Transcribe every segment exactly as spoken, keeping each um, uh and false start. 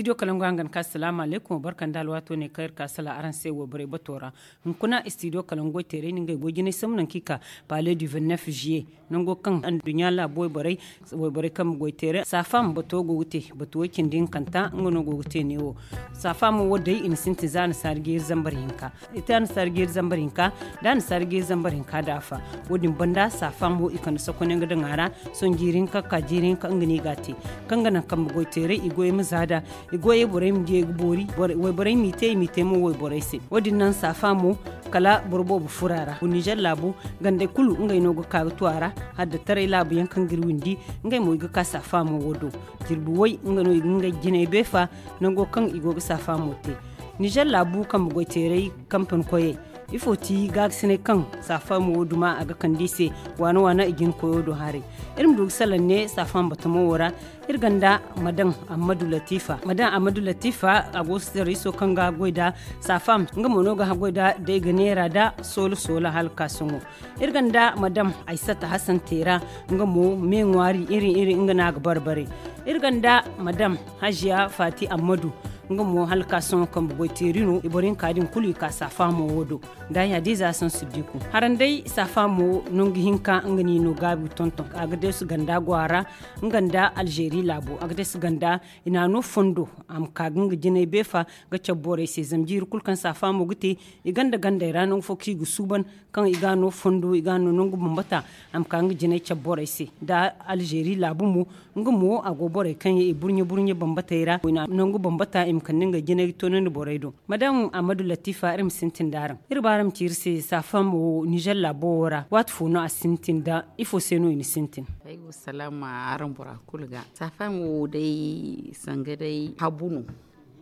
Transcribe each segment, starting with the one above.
Studio kalangu hangan ka salaamu alaykum barka nda alwaato ne kaŋ iri ka sala araŋ se wayborey bato ra. Hunkuna studio kalangu goy teeray no ngey goy jinay sambu nangu kaŋ i ka pale du vingt-neuf juillet, nango kaŋ anduɲɲa laabu wayborey, wayborey kambe goy teeray saafaama bato go ga te batu way cindi hinkanta nga no go ga te neewo. Saafaamo wo day i na sintin za annasaari jeeri zambar hinka. I te annasaari jeeri zambar hinka, da annasaari jeeri zambar hinka da afa. Wo- din banda saafaamo i kande sokonyaŋ ga daŋ a ra. Sohõ jiiri hinka ga ka jiiri hinka nga no i ga a te, kaŋ ga naŋ kambe goy teeray i goyey ma za da. I goyey borey ma di ay ga boori. Wayborey m'i te i m'i te mo wayborey se. Wo- din naŋ saafaamo kala boro boobo furo a ra. Nizer laabu gandey kulu ngey no ga ka ga tu a ra. Hala da taray laabu yaŋ kaŋ ga iri windi, ngey mo i ga ka saafaamo wo do. Jirbi way nga no i ga ngey jinay beefa. Nango kaŋ i go ga saafaamo te. Nizer laabu kambe goy teeray kampani koyey, ifo ti gaagasinay kaŋ saafaamo wo duma a ga kande i se? Waana waana i jina koyo do haray. Iri ma du ga salaŋ ne saafaamo batamo wo ra. Iri ganda madam ammadu latifa madam ammadu latifa a go sitariso kaŋ ga goy da saafaamo nga mo no ga haggoy da day ga neera da soola soola hala ga ka sohõ. Iri ganda madam aysata hasan teera, nga mo me ŋwaari iri iri nga no a ga bare bare. Iri ganda madam hajiya fati ammadu, nga mo hala ga ka sohõ kambe goy teeri no i boro hinka din kulu i ka saafaamo wo do. Nda ya day za saŋ siddiku haraŋ day saafaamo nangu hinka nga no i no gaabi ga tonton a ga deesu ganda go a ra. Nga nda alzeeri laabo a ga deesu ganda i na a no fondo a ma ka ga nga jinay beefa ga cabe borey se zama jiiri kulu kaŋ saafaamo ga te i ganda gandey ra nangu fo kaŋ i ga suuban kaŋ i ga a no fondo i ga a no nangu bambata. A ma ka nga jinay cabe borey se nda alzeeri laabu mo. Nga mo a go borey kaŋ yaŋ i burɲe burɲe bambatey ra nangu bambata i ma kande ngey jinay ga toonandi borey do. Madam ammadu latifa iri ma sintin da araŋ iri ba araŋ ma ci iri se saafaamo wo nizer laabo wo ra waati fo no a sintin da ifo se no i na sintin? Ay go salaama araŋ bora kulu ga saafaamo wo day sanga day habu no.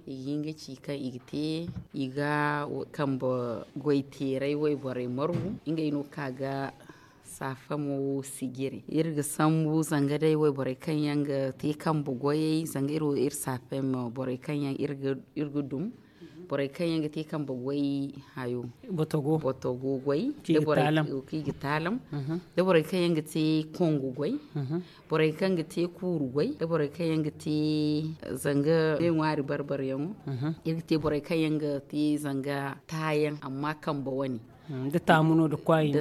I ga hin ga ci kaŋ i ga te i ga kambe goy teeray wayborey margu ngey no kaŋ a ga saafaamo wo sijiri iri ga sambu zanga day wayborey kaŋ yaŋ ga te kambe goyey zanga iri wo iri saafaamo borey kaŋ yaŋ iri ga dum borey kaŋ yaŋ ga te kambe goy hayo. Botogo goy kaŋ i ga taalam da borey kaŋ yaŋ ga te kongo goy borey kaŋ ga te kuuru goy da borey kaŋ yaŋ ga te zanga me ŋwaari barbar yaŋo. Iri ga te borey kaŋ yaŋ ga te zanga taayaŋ amma kambe wane da taamu no da kwaayi no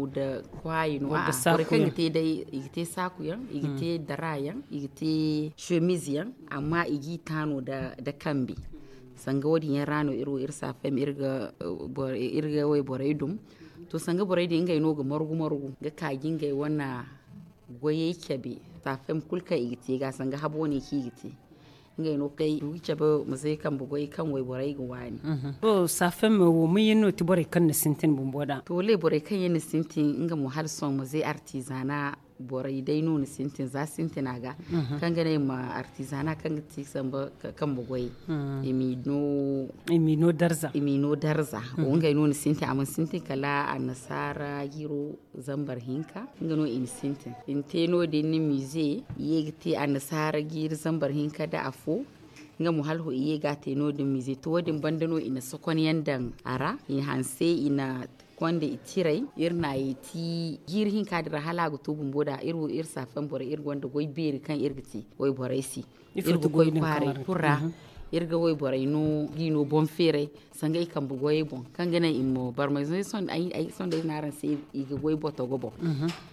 da kwaayi no a borey kaŋ ga te day i ga te saaku yaŋ i ga te dara yaŋ i ga te semiz yaŋ amma i g'i taano da kambe. Sanga wo- din yaŋ ra no iri wo iri saafem iri ga wayborey dum. To sanga borey din ngey no ga margu margu ga ka ga ngey wane goyey cabe. Saafem kulu kaŋ i ga te ga sanga habo wane kaŋ i ga te ngey no kay du ga cabe ma zay kambe goy kaŋ wayborey ga waani. To saafem wo ma yaŋ no ti borey kaŋ na sintin bumbo da to wallay borey kaŋ yaŋ na sintin nga mo hala sohõ ma zay artizana. Borey day no ni sintin za sintina ga kaŋ ga ne ma artizana kaŋ ga ti samba kambe goy. I m'i no darza wo ngey no ni sintin a mana sintin kala annasaara jiro zambar hinka. Nga no i na sintin i na te no- din ni mize i ye ga te annasaara jiro zambar hinka da afo. Nga mo hala i ye ga a te no- din mize to wo- din banda no i na sokon yaŋ daŋ a ra i na hanse i na konda i tiray iri na ye ti jiiri hinka din ra hala a ga to bumbo da iri wo iri saafan borey iri gonda goy beeri kaŋ iri ga te wayborey se. Iri ga koy kwaaray kulu ra iri ga wayborey no ga i no boŋ feeray sanga i kambe goyey boŋ kaŋ ga naŋ i ma barmay zama ay sohõ day ay sohõ day no araŋ se i ga goy botogo boŋ.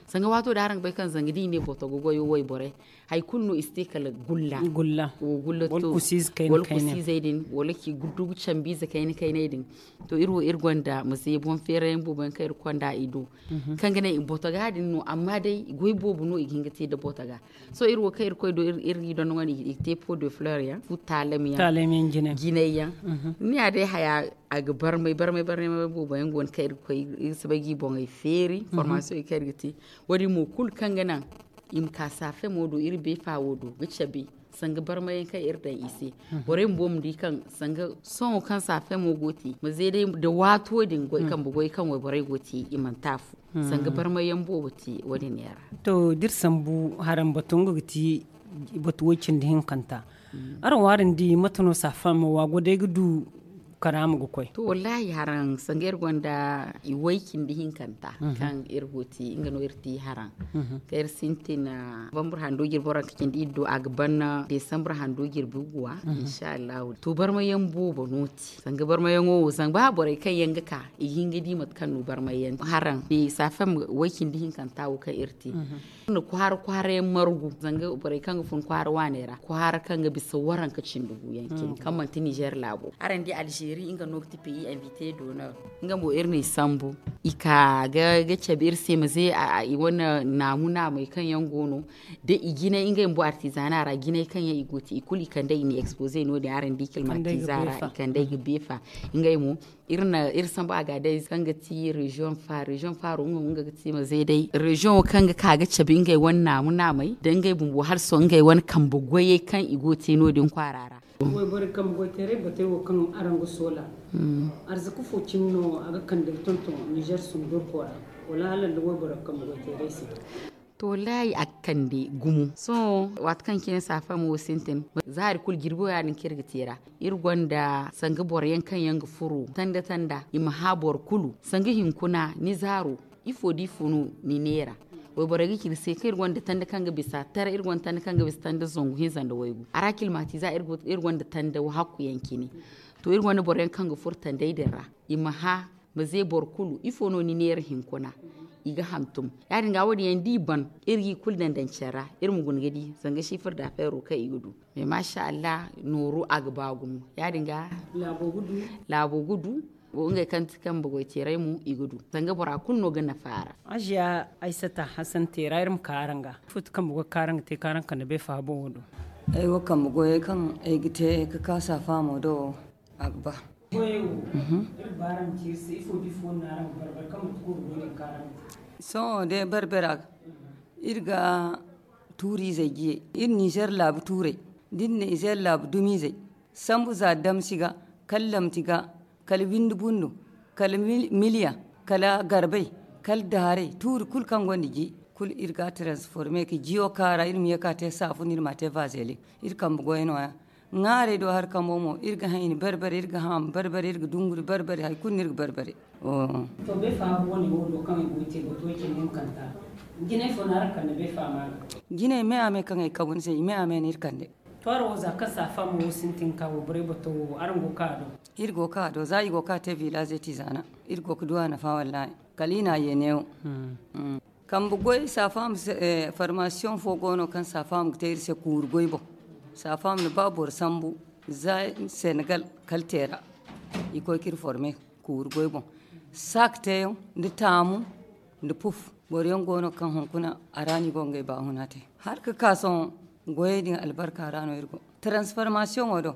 Sanga waato da araŋ ga bay kaŋ zanga da i ne botogo goyo wayborey hari kulu no i si te kala gulla. Gulla wala kusiizey din wala ki guddugu cambiize kayna kayney din. To iri wo iri gonda ma se boŋ feerayaŋ boobo yaŋ kaŋ iri konda i do kaŋ ga naŋ i botoga din no amma day goy boobo no i ga hin ga te nda botoga. Sohõ iri wo kaŋ iri koy do iri ga i dondoŋandi i ga te po de fleur yaŋ fu taalam yaŋ jinay yaŋ. Ni ya day haya a ga barmay barmay barmay boobo yaŋ go no kaŋ iri ga koy iri si bay ga i boŋey feeri formaasiyoŋ kaŋ iri ga te. Wo- din mo kulu kaŋ ga naŋ i ma ka saafemo do iri beefa wo do ga cabe sanga barmayaŋ kaŋ iri daŋ i se. Borey bumbo ma di kaŋ sanga sohõ kaŋ saafemo go te ma ze day nda waato din goy kambe goy kaŋ wayborey go te i mana te a fu. Sanga barmayaŋ boobo te wo- din yaŋ ra. To da iri sambu haraŋ batu nga ga ti batu way cindi hinkanta. Araŋ wo araŋ di mate no saafemo wo a go day ga du karaama ga koy. To, wallahi, haraŋ sanga iri gonda i way cindi hinkanta kaŋ iri go ti nga no iri ti haraŋ. Kaŋ iri sintin bambur hando jirbi waranka cindi iri do a ga ban desambur hando jirbi guwa. Insha allahu, to, barmayaŋ boobo no ti sanga barmayaŋo wo zanga ba borey kaŋ yaŋ ga ka i ga hin ga di mate kaŋ no barmayaŋ haraŋ ne safam way cindi hinkanta wo kaŋ iri te. Nda kwaara kwaara yaŋ margu zanga borey kaŋ ga fun kwaara waaney ra kwaara kaŋ ga bisa waranka cindi gu yaŋ cine kaŋ manti nizer laabo. Araŋ di algeri nga no ga ti peyi invite d'honneur. Nga mo iri no i sambu i ka ga cabe iri se ma ze i wane naamu naamey kaŋ yaŋ go no da i jinay ngey mo artizana ra jinay kaŋ yaŋ i go ti i kulu i kande i na expoze no- din araŋ di kilmatiza ra i kande ay ga beefa. Ngey mo iri sambu a ga day kaŋ ga ti rezion fa rezion faro nga mo nga ga ti ma zay day rezion wo kaŋ ga ka ga cabe ngey wane naamu naamey da ngey bumbo hala sohõ ngey wane kambe goyey kaŋ i go te no- din kwaara ra. Wayboro kambe goyteeray batey wo kaŋ araŋ ga soola, arzaka fo cine no a ga kande ga tonton nizer sundurko ra wala hala nda wayboro kambe goyteeray se? To, wallahi, a ga kande gumo sohõ waati kaŋ cine saafam wo sintin zaari kulu jirbo ya- din kaŋ iri ga te ra. Iri gonda sanga boro yaŋ kaŋ yaŋ ga furo tanda tanda i ma hã boro kulu sanga hinkuna ni zaaro. Ifo da ifo no ni neera? Wayborey ga ci iri se kaŋ iri gonda tanda kaŋ ga bisa tara iri gonda tanda kaŋ ga bisa tanda zangu hinza nda waygu a ra kilmatiza iri gonda tanda hakku yaŋ cine. To, iri gonda boro yaŋ kaŋ ga furo tandey din ra i ma hã ma ze boro kulu ifo no ni neera hinkuna? I ga hantum ya- din ga wo- din yaŋ da i ban iri ga i kulu daŋ daŋ care ra iri ma guna ga di zanga sifir da feero kaŋ i ga du. Mais masha allah, nooru a ga ba gumo ya- din ga laabo ga du. Ngey kaŋ ti kambe goyteeray mo i ga du zanga bora kulu no ga nafa a ra. Aziya aysata hasan teera iri ma ka araŋ ga. Ifo ti kambe goy kaŋ araŋ ga te kaŋ araŋ kande bay faabo wo do? Ay wo kambe goyey kaŋ ay ga te ga ka saafaamo do wo a ga ba. Sohõ day barbara ga iri ga tuuri izey jiye iri nizer laabu tuurey da iri na izer laabu dumizey sambu za damsi ga kala lamti ga kala windi bundu kala miliya kala garbay kala daaray tuuri kulu kaŋ gonda ji kulu iri ga a transforme ka jiyo kaara iri ma ye ka te saafun iri ma a te vazelik. Iri kambe goy nooya ŋaarey do hari kambo mo iri ga haŋ i na barbare iri ga haŋ a ma barbare iri ga dunguri barbare hari kulu no iri ga barbare. To beefa wane wo do kaŋ ay go ga te bato ay cindi hinkanta jinay fo no araŋ kande beefa ma ga? Jinay me a me kaŋ ay kabu ni se i me a me no iri kande. To araŋ wo za kaŋ saafa mo wo sintin ka wo borey bato wo araŋ go ga ka a do? Iri go ga ka a do za i go ga ka te vilaze ti zaana iri go ga du a nafa wallahi. Kala i na a ye neewo. Kambe goy saafaam. Farmasiyoŋ fo go no kaŋ saafaam ga te iri se kuuri goy boŋ. Saafaam na ba boro sambu za senegal kala teera i koy ka iri forme kuuri goy boŋ. Saak teeyaŋ nda taamu nda puf boro yaŋ go no kaŋ hunkuna a ra no i go ga ngey baahuna te. Hala ga ka sohõ goyey din albarka ra no iri go. Transformasiyoŋo do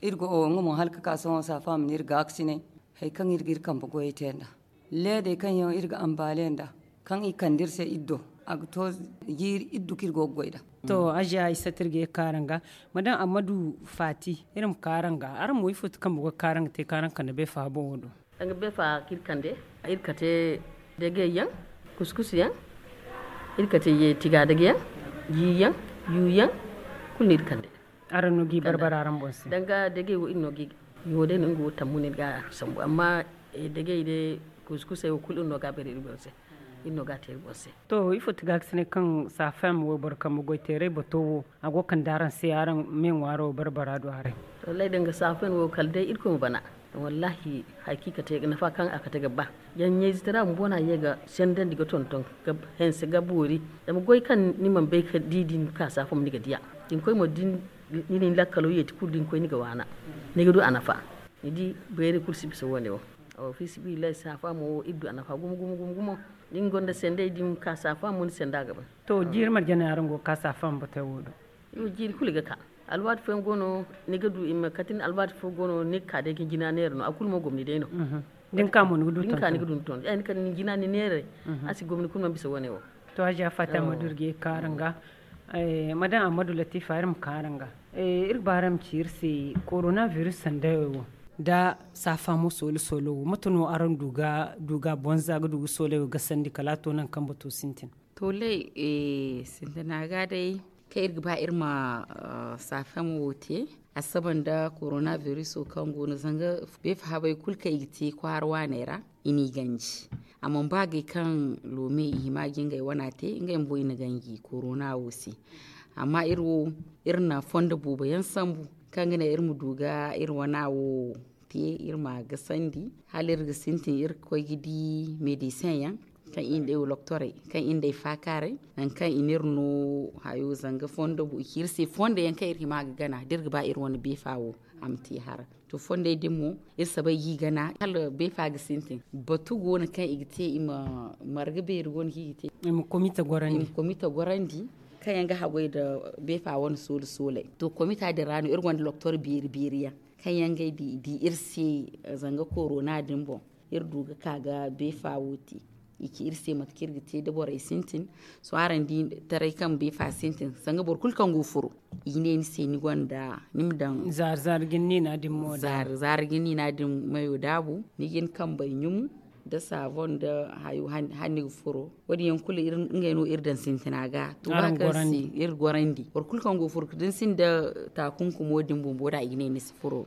iri go nga mo hala ga ka sohõ saafaam no iri gaakasinay hari kaŋ iri ga iri kambe goyey te nd'a. Leedey kaŋ yaŋ iri ga ambaale nd'a kaŋ i kande iri se iri do a ga to jiiri iri du kaŋ iri go ga goy nd'a. To aziya ay satta iri ga ye ga ka araŋ ga madam ammadu faati iri ma ka araŋ ga araŋ mo ifo ti kambe go ga ka araŋ ga te kaŋ araŋ kande beefa boŋo do? Danga beefa kaŋ iri kande iri kate dagey yaŋ kuskus yaŋ iri kate tiga dage yaŋ ji yaŋ yu yaŋ kulu no iri kande. Araŋ no ga i barbara araŋ boŋ se danga dagey wo iri no ga i yo day no nga wo tammu no iri ga a sambu amma dagey day kuskusey wo kulu iri no ga a bare iri boŋ se. Iri no ga a te iri boŋ se. To ifo ti ga ga sine kaŋ safem wayboro kambe goyteeray bato wo a go ga kande araŋ se araŋ me ŋwaaro barbara do haray? Wallaahi danga safem wo kala day irkoy ma bana. Wallaahi hakiika te nafa kaŋ a kate ga ba. Yaŋ ɲayzitara bumbo no a ye ga sendandi ga tonton ga hanse ga boori. Zama goy kaŋ ni mana bay ga di din ka safem ni ga diya. Din koy mo din ni na ni lakkalo yeeti kulu din koy ni ga waana. Ni ga du a nafa. Ni di bayray kulu si bisa wo- ne wo. Fiisabilillahi saafa mo wo iri du a nafa gumo gumo gumo gumo. Da ni gonda sendey da ni ma ka saafa mo ni senda ga ban. To jiiri marje no araŋ go ga ka saafa ma batey wo do? Jiiri kulu ga ka. Alwaati fooyaŋ go no ni ga du i ma kate ni alwaati fo go no ni ga ka day ga ni jina neera no a kulu mo gomni day no. Da ni ka mo ni ga du tonton. Ay ni kala ni jina ni neeray. A si gomni kulu mana bisa wo- ne wo. To hajiya fatima durge kaara nga. Madam ammadu latifa iri ma kaara nga. Iri ga ba araŋ ma ci iri se korona virus sanday wo nda saafa mo soolo soolo wo mate no araŋ du ga bonza ga du ga soolay wo gasandi kala a to nangu kaŋ bato sintin? To lay sintina ga day. kaŋ iri ga ba iri ma saafamo wo te, a saba nda korona biriso kaŋ go no zanga beefa habay kulu kaŋ i ga te kwaara waaney ra, i n'i ganji. Amma ba gay kaŋ loome i hima ga ngey wana te, ngey bumbo i na ganji korona wo se. Amma iri wo, iri na fondo boobo yaŋ sambu kaŋ ga ne iri ma du ga iri wana wo te, iri ma a gasandi hala iri ga sintin iri ga koy ga di medecin yaŋ kaŋ i na day wo loktorey, kaŋ i na day faakaaray, nangu kaŋ i n'iri no hayo zanga fondo bu i ci iri se fondo yaŋ kaŋ iri hima ga gana da iri ga ba iri wane beefa wo a ma te hara. To fondey din mo, iri sabay g'i gana hala beefa ga sintin. Batu go no kaŋ i ga te i ma marga beeri go no kaŋ i ga te i ma komita gorandi kaŋ yaŋ ga haggoy nda beefa wane soole sooley. To komita din ra no iri gonda loktor beeri beeri yaŋ kaŋ yaŋ ga ay di iri se zanga korona din boŋ, iri du ga ka ga beefa wo te. I ci iri se mate kaŋ iri ga te da borey sintin. Sohõ araŋ di taray kaŋ beefa sintin sanga boro kulu kaŋ go furo, i ga ne ni se ni gonda ni ma daŋ zaari zaari ga ni niina din mayo daabu, ni ga ni kambey ɲumu nda saavon nda hayo hala ni ga furo. Wo- din yaŋ kulu ngey no iri daŋ sintina ga to ba kaŋ se iri gorandi boro kulu kaŋ go furo da ni sinda taakunkumo din bumbo da i ga ne ni si furo.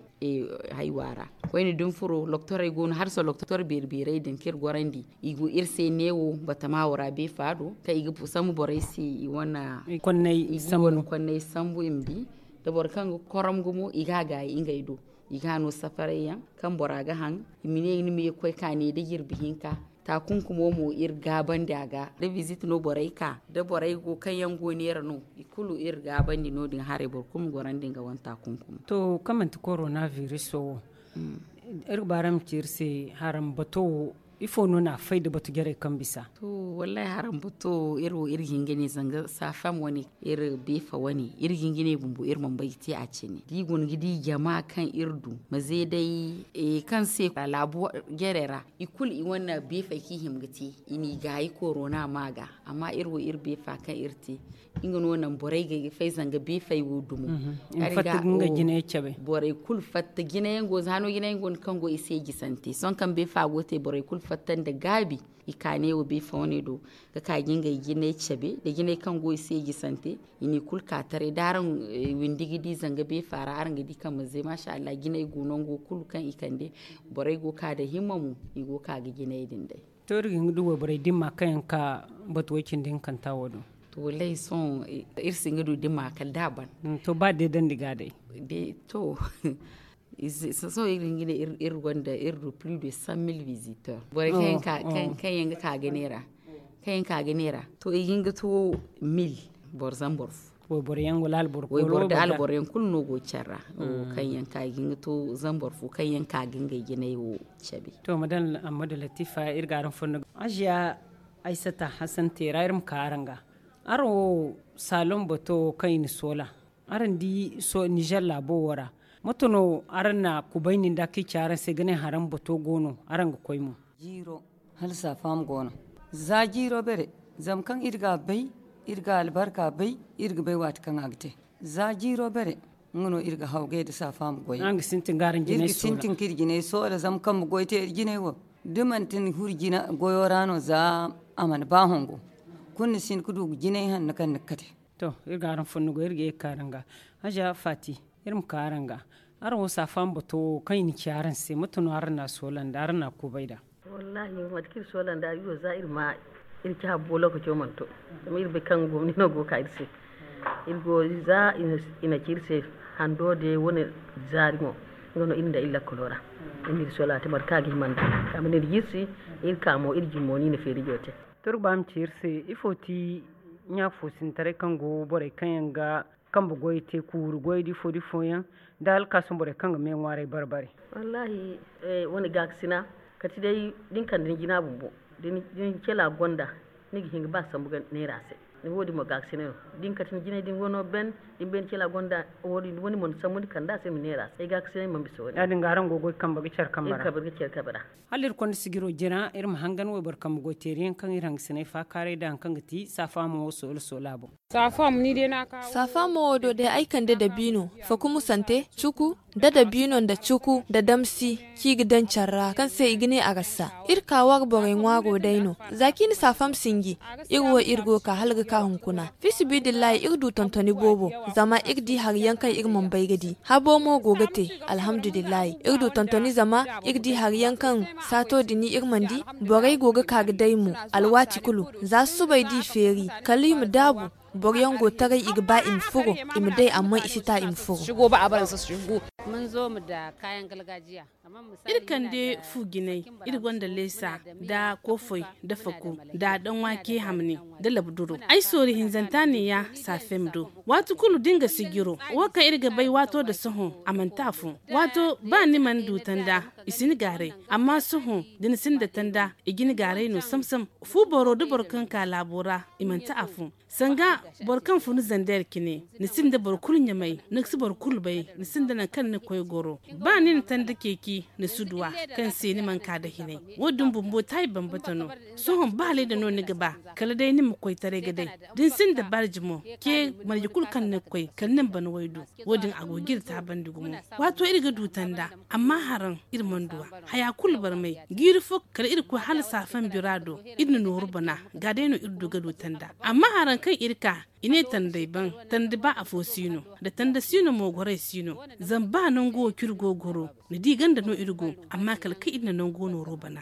Haywa ra koyne da ni furo loktorey go no hala sohõ loktor beeri beerey din kaŋ iri gorandi, i go iri se neewo batama wo ra beefa do kaŋ i ga sambu borey se i wane konney sambu i ma di. Da boro kaŋ ga korom gumo i ga a gaayi ngey do, i ga a no safaray yaŋ kaŋ bora ga haŋ. I ma ne ni ma ye ga koy ka ne da jirbi hinka taakunkumo mo iri gaabandi a ga da bizit no borey ka da borey go kaŋ yaŋ go neera no i kulu iri gaabandi no- din haray boro kulu ma gorandi nga wane taakunkumo. To kaŋ manti korona biriso wo, iri ga ba araŋ ma ci iri se haraŋ bato wo, ifo no no a fay da batu jarey kaŋ bisa? To, wallahi haraŋ bato wo iri wo iri ga hin ga ne zanga saafam wane iri beefa wane iri ga hin ga ne bumbo iri mana bay ga te a cine da i go no ga di jama kaŋ iri du maze day kaŋ se laabu jarey ra i kulu i wane beefey kaŋ i hima ga te i n'i gaayi korona ma ga. Amma iri wo iri beefa kaŋ iri te nga no naŋ borey ga fay zanga beefey wo dumo. Borey kulu fatta jinayaŋ go za hano jinayaŋ go no kaŋ go i se jisante sohõ kaŋ beefa go te borey kulu fatta nda gaabi i ka ne wo beefa wane do ga ka ga ngey jinay cabe da jinay kaŋ go i se jisante. I n'i kulu ka taray da araŋ windi ga di zanga beefa ra araŋ ga di kaŋ ma ze maasa allah jinay go nango kulu kaŋ i kande borey go ka da himma mo i go ka ga jinay din day. To iri ga hin ga du wayborey dimma kaŋ yaŋ ka batu way cindi hinkanta wo do? To wallahi sohõ iri si hin ga du dimma kala da a ban. To ba deedandi ga day? To sohõ iri ga hin ga ne iri gonda iri du plus de cent mille visiteurs borey kaŋ yaŋ ga ka ga neera. Kaŋ yaŋ ka ga neera to i ga hin ga to mille boro zambar fo. Wayboro da alboro yaŋ kulu no go care ra. Kaŋ yaŋ ka ga hin ga to zambar fo kaŋ yaŋ ka ga ngey jinay wo cabe. To madam ammadu latifa iri ga araŋ fonda aziya aysata hasan teera iri ma ka araŋ ga. Araŋ wo saalon bato wo kaŋ i na soola araŋ di nizer laabo wo ra? Mate no araŋ na kubayni nda kaŋ i ci araŋ se ga ne haraŋ bato go no araŋ ga koy mo? Jiiro hala saafaama go no. Za jiiro bere zama kaŋ iri ga a bay iri ga albarka bay iri ga bay waati kaŋ a ga te. Za jiiro bere nga no iri ga hawgay nda saafaama goy. Iri ga sintin ka iri jinay soola zama kambe goy te iri jinay wo da manti ni huru goyo ra no za a mana ba hongo kulu ni si hin ga du jinay hanno kaŋ ni ga kate. To iri ga araŋ fonda goy iri ga ye ga ka araŋ ga. Haza faati iri ma ka araŋ ga. Araŋ wo saafaama bato wo kaŋ i na ci araŋ se mate no araŋ na a soola nda araŋ na a kubay nd'a? Wallahi mate kaŋ iri soola nd'a iri wo za iri ma iri ci habbo lokaco mana to. Zama iri bay kaŋ gomni no go ga ka iri se. Iri go za i na ci iri se hando de wane zaari mo nga no iri nda iri lakkalo ra. Iri na iri soola te mate kaŋ a ga hima nd'a a ma ne iri jirsi iri ka mo iri jummo no i na feerijo te. To iri ga ba ma ci iri se ifo ti ɲa fo sintaray kaŋ go borey kaŋ yaŋ ga kambe goy te kuuru goy da ifo da ifo yaŋ da hala ka sohõ borey kaŋ ga me ŋwaaray bare bare? Wallahi wane gaakasina kati day da ni kande ni jina bumbo da ni cela gonda ni ga hin ga ba sambu ga neera se. Ni wo- din mo gaakasina no da ni kati ni jinay din wano ben da ni bay ni cela gonda wo- din wani mo ni sambu ni kande a se ni ma neera se ay gaakasinay mana bisa wo- din ya- din ga araŋ go ga goy kambe ga care kambe ra. Hala iri konda sijiro jina iri ma hangan wayboro kambe goy teeri yaŋ kaŋ iri hangasinay faakaaray nda hari kaŋ ga ti saafaamo wo soola soola boŋ. Saafaamo wo do day ay kande dabiino fakumusante cuku nda dabiino nda cuku nda damsi kaŋ i ga daŋ care ra kaŋ se i ga ne a ga sa. Iri ka war borey ŋwaaro day no za kaŋ i na saafaam sinji iri wo iri go ga ka hala ga Hunkuna, fi sibidillahi iri du tontoni boobo. Zama iri di hari yaŋ kaŋ iri mana bay ga di. Habo mo go ga te. Alhamdulillahi, iri du tontoni zama iri di hari yaŋ kaŋ saato din iri mana di. Borey go ga ka ga day mo. Alwaati kulu, za susubay da i feeri, kala i ma daabu. Boro yaŋ go taray, i ga ba i ma furo, i ma day, amma i si ta i ma furo. Iri kande fu jinay, iri gonda leesa, nda koofay, nda faku, nda danwaake hamni, nda labduro. Ay soori hinzanta ne ya saafem do. Waati kulu da ni ga sijiro, wo kaŋ iri ga bay waato nda sohõ, a manti afo. Waato ba ni mana du tanda, i si ni gaaray. Amma sohõ, da ni sinda tanda, i ga ni gaaray no sam-sam. Fu boro nda boro kaŋ ka laabo ra, i manti afo. Sanga boro kaŋ fun zandeer cine, ni sinda boro kulu ɲamay, ni si boro kulu bay, ni sinda nangu kaŋ ni ga koy goro. Ba ni na tanda ceeci, ni si du a, kaŋ se ni mana ka nda hinay. Wo- din bumbo taayi bambata no. Sohõ ba lay da no ni ga ba, kala day ni ma koy taray ga day. Da ni sinda barji mo, ce marje kulu kaŋ ni ga koy, kala ni ma bana way du. Wo- din a go ga iri taabandi gumo. Waato iri ga du tanda, amma haraŋ iri mana du a. Haya kulu barmay, jiiri fo kala iri koy hala saafan bira do, iri na nooru bana. Ga day no iri du ga du tanda. Amma haraŋ kaŋ iri ka, i ne tandey ban, tanda ba afo si no, nda tanda si no mo, gorey si no. Zama ba nango wo kaŋ iri go ga goro, ni di ganda no iri go, amma kala kaŋ iri na nango nooro bana.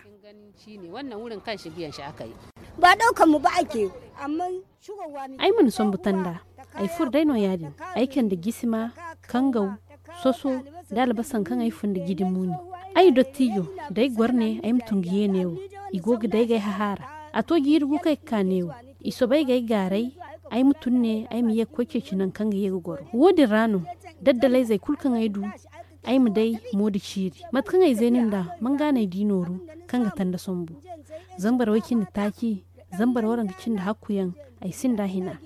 Ba ɗaukan mu ba ake, amma ay mana sombu tanda. Ay furo day no ya- din. Ay kande jisima, kangaw, soso, da albasa kaŋ ay fun nda jidi muuni. Ay dottijo, da ay goro ne ay ma tun ga ye neewo. I go ga day ga ay hahaara. A to jiiri gu kaŋ ay ga ka neewo. I soobay ga ay gaaray. Ay ma tun ne ay ma ye ga koy ceeci nangu kaŋ ga ye ga goro. Wo- din ra no, daddalayzey kulu kaŋ ay du, ay ma day mo nda ciiri. Mate kaŋ ay zeeni nd'a, man ga no ay di nooru kaŋ ga tanda sombu. Zambar way cindi taaci, zambar waranka cindi hakku yaŋ, ay sinda hina.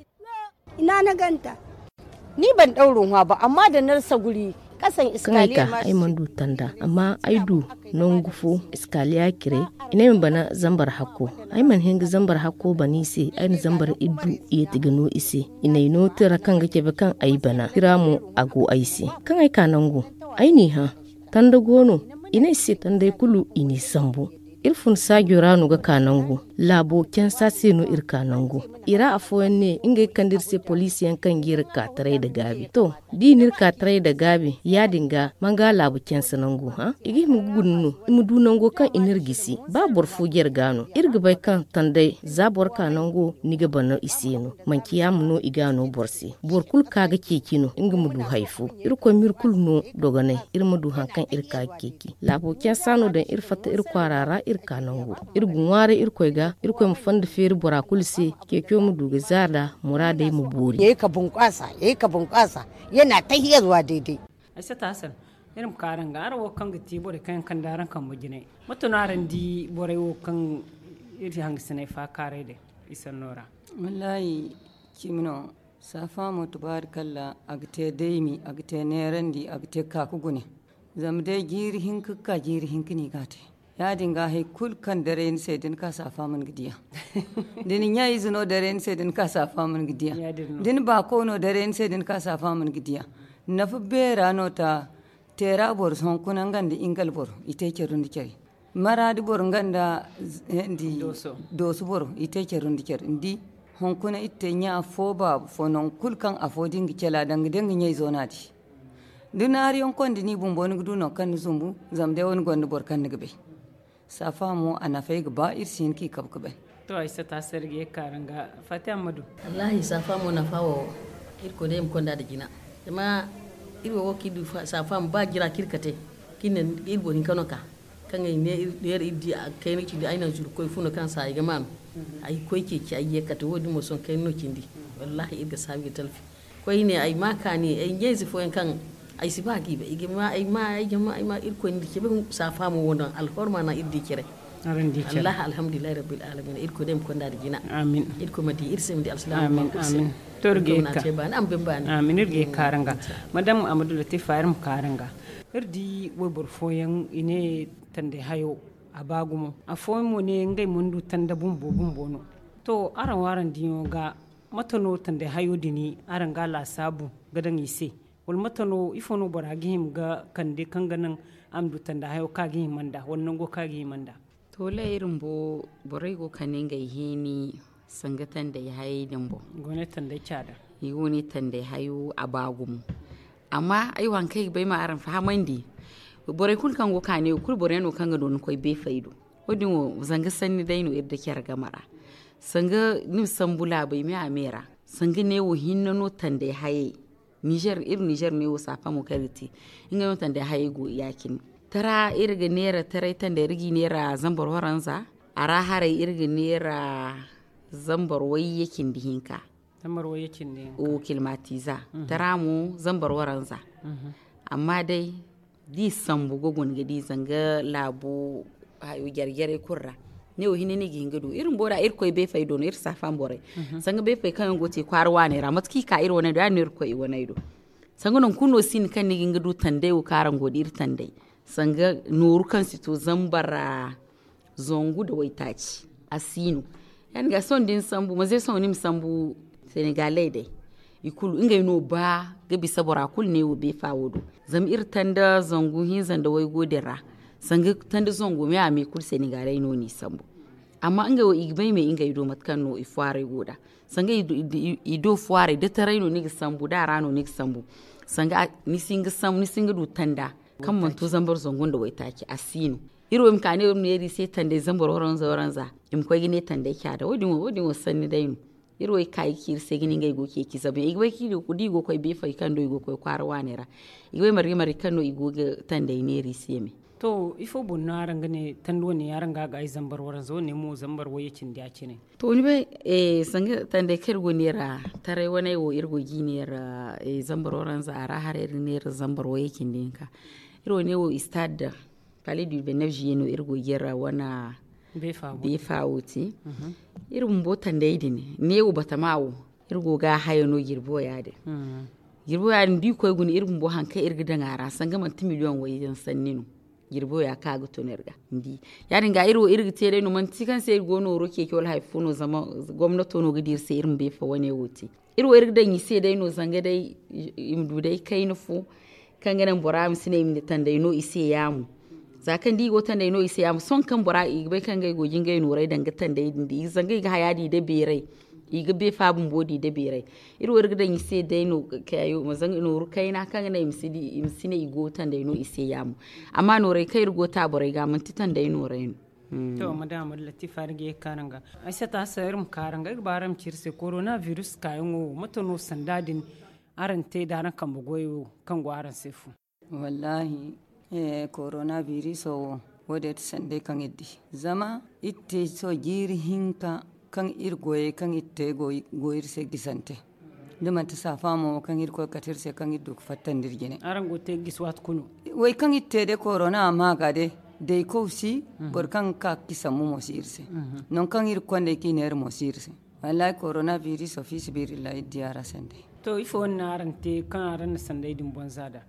Ni ban ɗauro ŋwa ba, amma da narsa guri kasaŋ. Kaŋ ay ka, ay mana du tanda, amma ay du nangu fo iskaliya cire. I ne ay ma bana zambar hakko. Ay mana hin ga zambar hakko bana i se. Ay na zambar iddu yeeti ga no i se. I na ay no tira kaŋ ga cabe kaŋ ay bana tira mo, a go ay se. Kaŋ ay ka nangu, ay n'i hã. Tanda go no. I ne ay se tandey kulu i n'i sambu. Iri fun saajo ra no ga ka nangu. Laabo cansa se no iri ka nangu. I ra afooyaŋ ne ngey kande iri se poliisi yaŋ kaŋ ga iri ka taray nda gaabi. To, da i n'iri ka taray nda gaabi, ya- din ga man ga laabu cansa nangu hã? I ga hima ga guna no. I ma du nango kaŋ i n'iri gisi. Ba boro fo jare ga no, iri ga bay kaŋ tandey za boro ka nango, ni ga bana i se no. Manci yaama no i ga no boro se. Boro kulu ka ga ceeci no nga ma du hari fo. Irkoy m'iri kulu no dogonay, iri ma du hari kaŋ iri ka ga ceeci. Laabo cansa no daŋ iri fatta iri kwaara ra, iri ka nango. Iri ga ŋwaaray irkoy ga, irkoy ma fonda feeri bora kulu se. Ceeco ma du ga zaada, muraadey ma boori. Yayi ka bunkaasa, yayi ka bunkaasa. Yana tahiya zuwa daidai. Ay sata hasan. Iri ma ka araŋ ga araŋ wo kaŋ ga ti borey kaŋ yaŋ kande araŋ kambe jinay. Mate no araŋ di borey wo kaŋ iri hangasiney faakaaray day? Isanno ra. Wallaahi, cimi no. Saafaamo tubaari kalla, a ga te daymi, a ga te neerandi, a ga te kaaku gune. Zama day jiiri hinka ga ka jiiri hinka no i ga a te. Ya- din ga hari kulu kaŋ daray ni se da ni ka saafaamo ni ga di a. Da ni ɲa-ize no daray ni se da ni ka saafaamo ni ga di a. Da ni baako no daray ni se da ni ka saafaamo ni ga di a. Nafa beera no ta. Teera boro hunkuna nga nda ingal boro i te care nda care. Maraadi boro nga nda dooso boro i te care nda care ni di. Hunkuna iri te ɲa fo baaba fo nangu kulu kaŋ afo da nga cala danga day nga ɲayzo no a di. Da ni hari yaŋ konda ni bumbo ni ga du nangu kaŋ ni zumbu. Zama day wo ni gonda boro kaŋ ni ga bay. Saafa mo a nafay ga ba iri si hin ka i kabu ga bay. To ay sata se iri ga ye ga ka araŋ ga. Fati ammadu. Wallaahi saafa mo nafa wo iri koy day i ma konda nda jina. Zama iri wo wo kaŋ iri du saafa mo ba jira kaŋ iri kate kaŋ iri ne iri boro hinka no ka kaŋ ay ne iri di a kayna cindi ay naŋ zuru koy funo kaŋ se ay ga maanu. Ay koy ceeci ay ye kate wo- din mo sohõ kayna no cindi. Wallaahi iri ga saabu ga talfi. Koyne ay ma kaani ay ɲayze fooyaŋ kaŋ ay si ba ga i bay i ga ma ay ma ay jama ay ma irkoy na iri cabe. Saafa mo wo naŋ alhorma naŋ iri di care. Araŋ di care. Alhamdulillahi rabbil alamin irkoy day ma konda nda jina. Amin. Irkoy ma di iri se ma di alsilaama. Amin. To iri ga ye ga ka. Amin iri ga ye ga ka araŋ ga. Madam amadu latifa iri ma ka araŋ ga. Iri di wayboro fooyaŋ i ne tandey hayo a ba gumo afooyaŋ mo ne ngey mana du tanda bumbo bumbo no. To araŋ wo araŋ diyaŋo ga mate no tandey hayo din araŋ ga a laasaabu ga daŋ i se? Wala mate no ifo no bora ga hima ga kande kaŋ ga naŋ a ma du tanda hayo kaŋ a ga hima nd'a wala nango kaŋ a ga hima nd'a? To lay iri bumbo borey go ga kande ngey heeni. Sanga tandey hayey din boŋ. I go ne tandey caada. I go ne tandey hayo a ba gumo. Amma ay wo haŋ kaŋ ay ga bay ma araŋ fahamandi, borey kulu kaŋ go ga ka ne wo kulu boro yaŋ no kaŋ ga dooni koy beefay do. Wo- din wo zanga sanni day no iri da care game ra. Sanga ni ma sambu laabey me a me ra. Sanga ne wo hinne no tandey hayey. Nizer iri nizer ne wo saafamo kaŋ iri ga te. Ngey no tandey hayey go ya- cine. Tara iri ga neera taray tandey iri g'i neera zambar waranza. A ra haray iri ga neera zambar wayye cindi hinka. Zambar wayye cindi hinka. O kilimatiza. Tara mo zambar waranza. Amma day da i sambu ga guna ga di zanga laabu hayo jare jarey kulu ra. Ne wo hinne no i ga hin ga du iri bumbo da iri koy beefay do no iri saafan borey. Sanga beefay kaŋ yaŋ go ga te kwaara waaney ra mate kaŋ i ka iri waney do ya- din no iri ga koy i waney do. Sanga nangu kulu no sinda kaŋ ni ga hin ga du tandey wo kaŋ araŋ go ga di iri tandey. Sanga nooru kaŋ si to zambar zangu nda waytaaci a si no. Ya- din ga sohõ da ni sambu manze sohõ ni ma sambu senegaley day. I kulu ngey no ba ga bisa bora kulu ne wo beefa wo do. Zama iri tanda zangu hinza nda waygo din ra. Sanga tanda zangu me a me kulu senegaley no n'i sambu. Amma ngey wo i ga bay me ngey do mate kaŋ no i fwaaray go nd'a. Sanga i do fwaaray da taray no ni ga sambu da a ra no ni ga sambu. Sanga ni si hin ga du tanda kaŋ mana to zambar zangu nda waytaaci a si no. Iri wo i ma ka ne iri ma neera i se tandey zambar waranza waranza. I ma koy ga ne tandey caada wo- din wo sanni day no. Iri wo i ga ka i ga ci iri se ga ne ngey go ga ceeci zama i ga bay kaŋ da i go ga koy beefay kaŋ do i go ga koy kwaara waaney ra. I ga bay marga marga kaŋ no i go ga tandey neera i se me. To ifo boŋ no araŋ ga ne tanda wane araŋ ga a ga ay zambar waranza wane mo zambar wayye cindi ya- cine? To ni bay sanga tandey kaŋ iri go ga neera taray waney wo iri go ga i neera zambar waranza a ra haray iri ga neera zambar wayye cindi hinka. Iri wane wo istad palais du vingt-neuf juillet no iri go ga yara wane beefa wo te. Iri bumbo tandey din ne wo batama wo iri go ga a haya no jirbi wo ya- din. Jirbi wo ya- din da i koy guna iri bumbo hari kaŋ iri ga daŋ a ra sanga manti miliyoŋ wayyaŋ sanni no. Jirbi wo ya- kaŋ a ga tun iri ga ni di. Ya- din ga iri wo iri ga te day no manti kaŋ se iri go nooro ceeci wala hari fo no zama gomnato no ga di iri se iri ma beefa wane wo te. Iri wo iri ga daŋ i se day no zanga day i ma du day kayna fo kaŋ ga naŋ bora ma si ne i ma ne tandey no i se yaamo. Za kaŋ da i go tandey no i se yaamo sohõ kaŋ bora i ga bay kaŋ ngey go ga ngey nooray daŋ ga tandey din di zanga i ga haya di da beeray. I ga beefa bumbo di da beeray. Iri wo iri ga daŋ i se day no kayo ma zanga nooru kayna kaŋ ga naŋ i ma si ne i go tandey no i se yaamo. Amma nooray kaŋ iri go ta borey ga manti tandey nooray no. To madama latifa iri ga ye ga kaanu nga ay sata hassan iri ma kaara nga iri ga ba araŋ ma ci iri se korona virus kaayaŋo wo mate no sanda din? Araŋ te da araŋ kambe goyo kaŋ go araŋ se fu? Wallahi, korona viriso wo wo- din ti sanday kaŋ iri di zama iri te sohõ jiiri hinka kaŋ iri goyey kaŋ iri te go iri se gisante. Da manti saafa mo kaŋ iri koy ga kate iri se kaŋ iri du ga fattandi iri jine. Araŋ go ga te ga gisi waati kulu? Way kaŋ iri te day korona a ma ga day daykow si. Boro kaŋ ga ka ga ci sambu mo si iri se. Nangu kaŋ iri ga konda ay kaŋ i neera mo si iri se. Wallahi korona viriso fi sabilillahi iri di a ra sanday. To ifo wane no araŋ te kaŋ araŋ na sanday din bonza nd'a?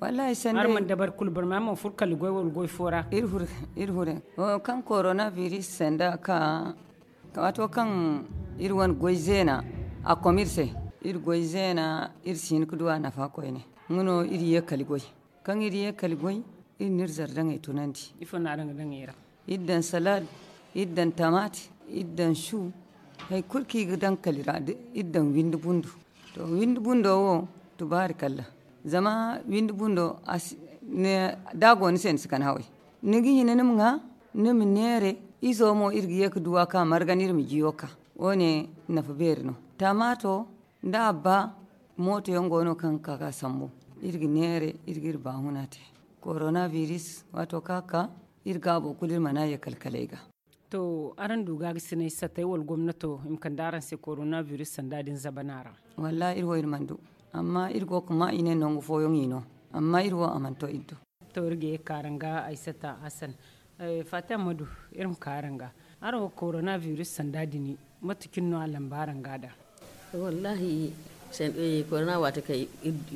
Wallahi sanday araŋ mana dabari kulu barma araŋ mana furo kala goy wala goy fo ra? Iri furo. Iri furo. Kaŋ korona viris sanda ka waato kaŋ iri wane goy zeena a kom iri se. Iri goy zeena iri si hin ga du a nafa koyne. Nga no iri ye kala goy. Kaŋ iri ye kala goy iri na iri zardaŋey tunandi. Ifo no araŋ ga daŋ i ra? Iri daŋ salad, iri daŋ tamaati, iri daŋ su. Hari kulu kaŋ i ga daŋ kala i ra iri daŋ windi bundo. To windi bundo wo tubaari kalla. Zama windi bundo da a go ni se ni si kan haway. Ni ga hina ni ma ŋwa, ni ma neere. Izo mo iri ga ye ga du a ka margan iri ma jiyo ka. Wo- ne nafa beeri no. Tamaato nda abba mooto yaŋ go no kaŋ ga ka ga sambu. Iri ga neere iri ga iri baahuna te. Korona viris waato kaŋ a ka iri gaabo kulu iri mana ye kala kala ay ga. To araŋ du ga ga sinay satay wala gomnato i ma kande araŋ se korona viris sanda din zabana ra? Wallahi iri wo iri mana du. Amma iri go ga ma i ne nangu fooyaŋ i no. Amma iri wo a mana to iri do. To iri ga ye ga ka araŋ ga aysata hasan. Fatima madu, iri ma ka araŋ ga. Araŋ wo korona viris sanda din mate cine no a lamba araŋ ga da? Wallahi, korona waati kay